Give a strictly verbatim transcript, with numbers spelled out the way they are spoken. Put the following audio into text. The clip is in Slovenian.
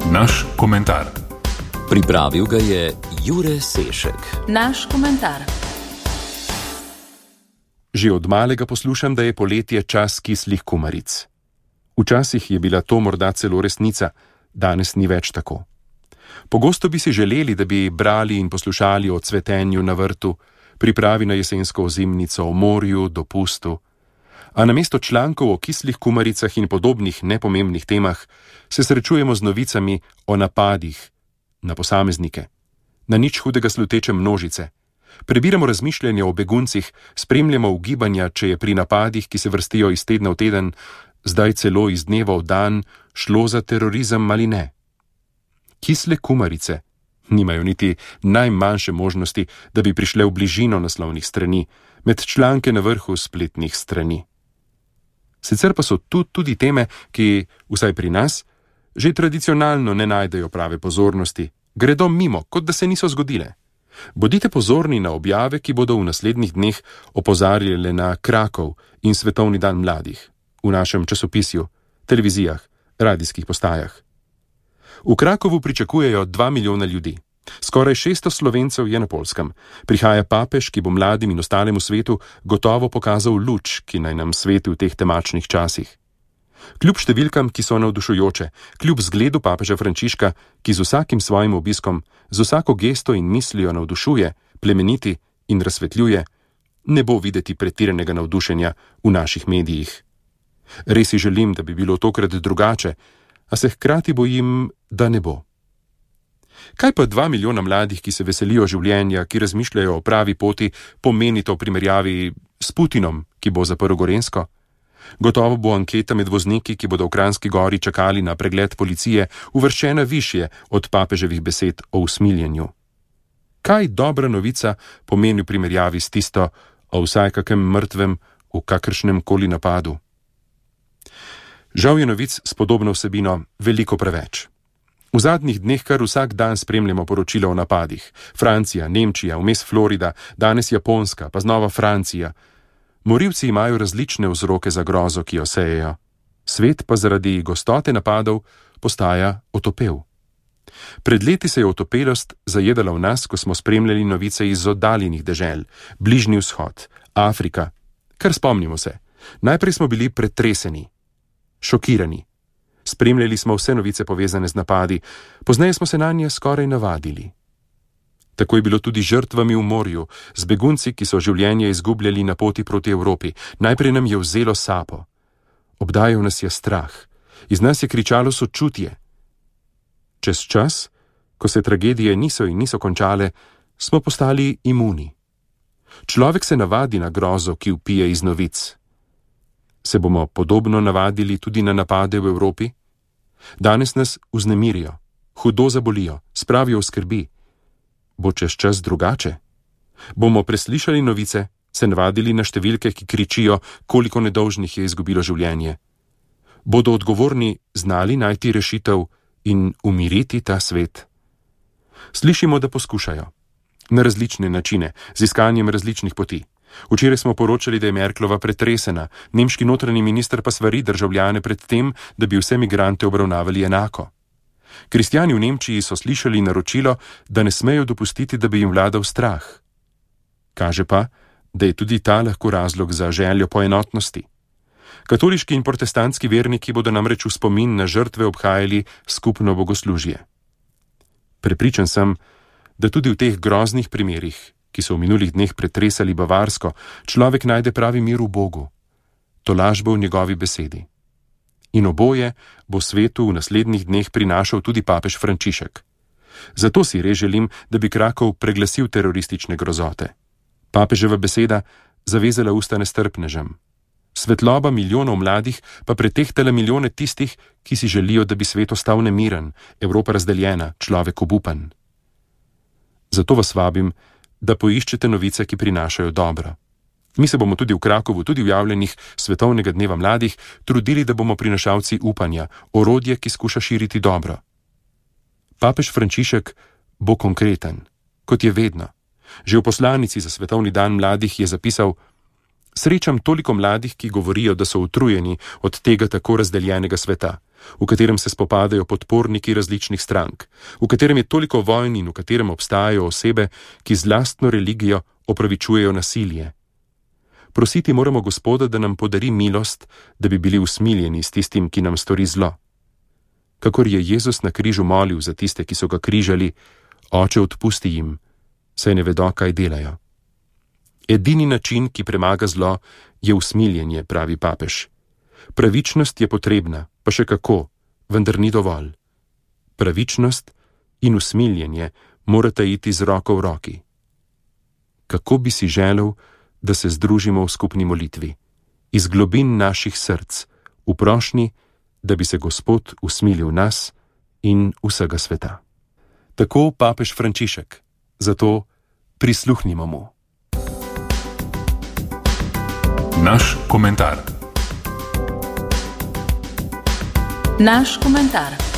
Naš komentar. Pripravil ga je Jure Sešek. Naš komentar. Že od malega poslušam, da je poletje čas kislih kumaric. Včasih je bila to morda celo resnica, danes ni več tako. Pogosto bi si želeli, da bi brali in poslušali o cvetenju na vrtu, pripravi na jesensko ozimnico, o morju, dopustu. A namesto člankov o kislih kumaricah in podobnih nepomembnih temah se srečujemo z novicami o napadih na posameznike, na nič hudega sluteče množice. Prebiramo razmišljanja o beguncih, spremljamo ugibanja, če je pri napadih, ki se vrstijo iz tedna v teden, zdaj celo iz dneva v dan, šlo za terorizem ali ne. Kisle kumarice nimajo niti najmanjše možnosti, da bi prišle v bližino naslovnih strani, med članke na vrhu spletnih strani. Sicer pa so tu tudi teme, ki, vsaj pri nas, že tradicionalno ne najdejo prave pozornosti, gredo mimo, kot da se niso zgodile. Bodite pozorni na objave, ki bodo v naslednjih dneh opozarjale na Krakov in Svetovni dan mladih, v našem časopisju, televizijah, radijskih postajah. V Krakovu pričakujejo dva milijona ljudi. Skoraj šeststo Slovencev je na Poljskem. Prihaja papež, ki bo mladim in ostalemu svetu gotovo pokazal luč, ki naj nam sveti v teh temačnih časih. Kljub številkam, ki so navdušujoče, kljub zgledu papeža Frančiška, ki z vsakim svojim obiskom, z vsako gesto in mislijo navdušuje, plemeniti in razsvetljuje, ne bo videti pretiranega navdušenja v naših medijih. Res si želim, da bi bilo tokrat drugače, a se hkrati bojim, da ne bo. Kaj pa dva milijona mladih, ki se veselijo življenja, ki razmišljajo o pravi poti, pomeni to v primerjavi s Putinom, ki bo zaprl Gorenjsko? Gotovo bo anketa med vozniki, ki bodo v Kranjski Gori čakali na pregled policije, uvrščena višje od papeževih besed o usmiljenju. Kaj dobra novica pomeni v primerjavi s tisto o vsaj kakem mrtvem v kakršnem koli napadu? Žal je novic s podobno vsebino veliko preveč. V zadnjih dneh kar vsak dan spremljamo poročila o napadih. Francija, Nemčija, vmes Florida, danes Japonska, pa znova Francija. Morilci imajo različne vzroke za grozo, ki jo sejejo. Svet pa zaradi gostote napadov postaja otopel. Pred leti se je otopelost zajedala v nas, ko smo spremljali novice iz oddaljenih dežel, Bližnji vzhod, Afrika. Kar spomnimo se, najprej smo bili pretreseni, šokirani. Spremljali smo vse novice povezane z napadi, pozneje smo se nanje skoraj navadili. Tako je bilo tudi žrtvami v morju, z begunci, ki so življenje izgubljali na poti proti Evropi. Najprej nam je vzelo sapo. Obdajal nas je strah. Iz nas je kričalo sočutje. Čez čas, ko se tragedije niso in niso končale, smo postali imuni. Človek se navadi na grozo, ki vpije iz novic. Se bomo podobno navadili tudi na napade v Evropi? Danes nas vznemirijo, hudo zabolijo, spravijo v skrbi. Bo čez čas drugače? Bomo preslišali novice, se navadili na številke, ki kričijo, koliko nedolžnih je izgubilo življenje? Bodo odgovorni znali najti rešitev in umiriti ta svet? Slišimo, da poskušajo. Na različne načine, z iskanjem različnih poti. Včeraj smo poročali, da je Merklova pretresena, nemški notranji minister pa svari državljane pred tem, da bi vse migrante obravnavali enako. Kristjani v Nemčiji so slišali naročilo, da ne smejo dopustiti, da bi jim vladal strah. Kaže pa, da je tudi ta lahko razlog za željo po enotnosti. Katoliški in protestantski verniki bodo namreč v spomin na žrtve obhajali skupno bogoslužje. Prepričan sem, da tudi v teh groznih primerih, ki so v minulih dneh pretresali Bavarsko, človek najde pravi mir v Bogu, tolažbo v njegovi besedi. In oboje bo svetu v naslednjih dneh prinašal tudi papež Frančišek. Zato si res želim, da bi Krakov preglasil teroristične grozote. Papeževa beseda zavezala usta nestrpnežem. Svetloba milijonov mladih pa pretehtala milijone tistih, ki si želijo, da bi svet ostal nemiren, Evropa razdeljena, človek obupan. Zato vas vabim, da poiščete novice, ki prinašajo dobro. Mi se bomo tudi v Krakovu, tudi v javljenih Svetovnega dneva mladih, trudili, da bomo prinašalci upanja, orodje, ki skuša širiti dobro. Papež Frančišek bo konkreten, kot je vedno. Že v poslanici za Svetovni dan mladih je zapisal: Srečam toliko mladih, ki govorijo, da so utrujeni od tega tako razdeljenega sveta. v katerem se spopadajo podporniki različnih strank, v katerem je toliko vojn in v katerem obstajajo osebe, ki z lastno religijo opravičujejo nasilje. Prositi moramo Gospoda, da nam podari milost, da bi bili usmiljeni s tistim, ki nam stori zlo. Kakor je Jezus na križu molil za tiste, ki so ga križali, Oče, odpusti jim, saj ne vedo, kaj delajo. Edini način, ki premaga zlo, je usmiljenje, pravi papež. Pravičnost je potrebna, pa še kako, vendar ni dovolj. Pravičnost in usmiljenje morata iti z roko v roki. Kako bi si želel, da se združimo v skupni molitvi, iz globin naših src, v prošnji, da bi se Gospod usmilil nas in vsega sveta. Tako papež Frančišek, zato prisluhnimo mu. Naš komentar. Naš komentar.